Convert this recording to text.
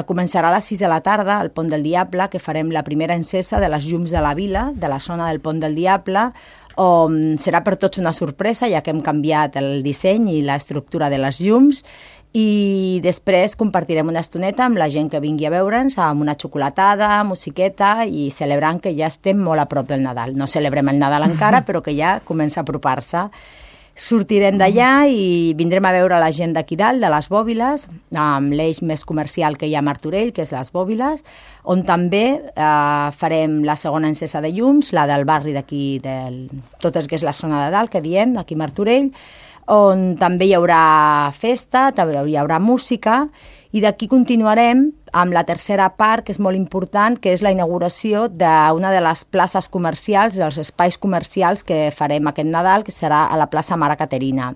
començarà a les 6 de la tarda al Pont del Diable, que farem la primera encesa de les llums de la vila, de la zona del Pont del Diable, on serà per tots una sorpresa, ja que hem canviat el disseny i l'estructura de les llums, i després compartirem una estoneta amb la gent que vingui a veure'ns, amb una xocolatada, musiqueta, i celebrant que ja estem molt a prop del Nadal. No celebrem el Nadal encara, però que ja comença a apropar-se. Sortirem d'allà i vindrem a veure la gent d'aquí dalt, de les Bòbiles, amb l'eix més comercial que hi ha a Martorell, que és les Bòbiles, on també farem la segona encesa de llums, la del barri d'aquí, tot el que és la zona de dalt, que diem, aquí a Martorell, on també hi haurà festa, també hi haurà música, i d'aquí continuarem amb la tercera part, que és molt important, que és la inauguració d'una de les places comercials, dels espais comercials que farem aquest Nadal, que serà a la plaça Mare Caterina.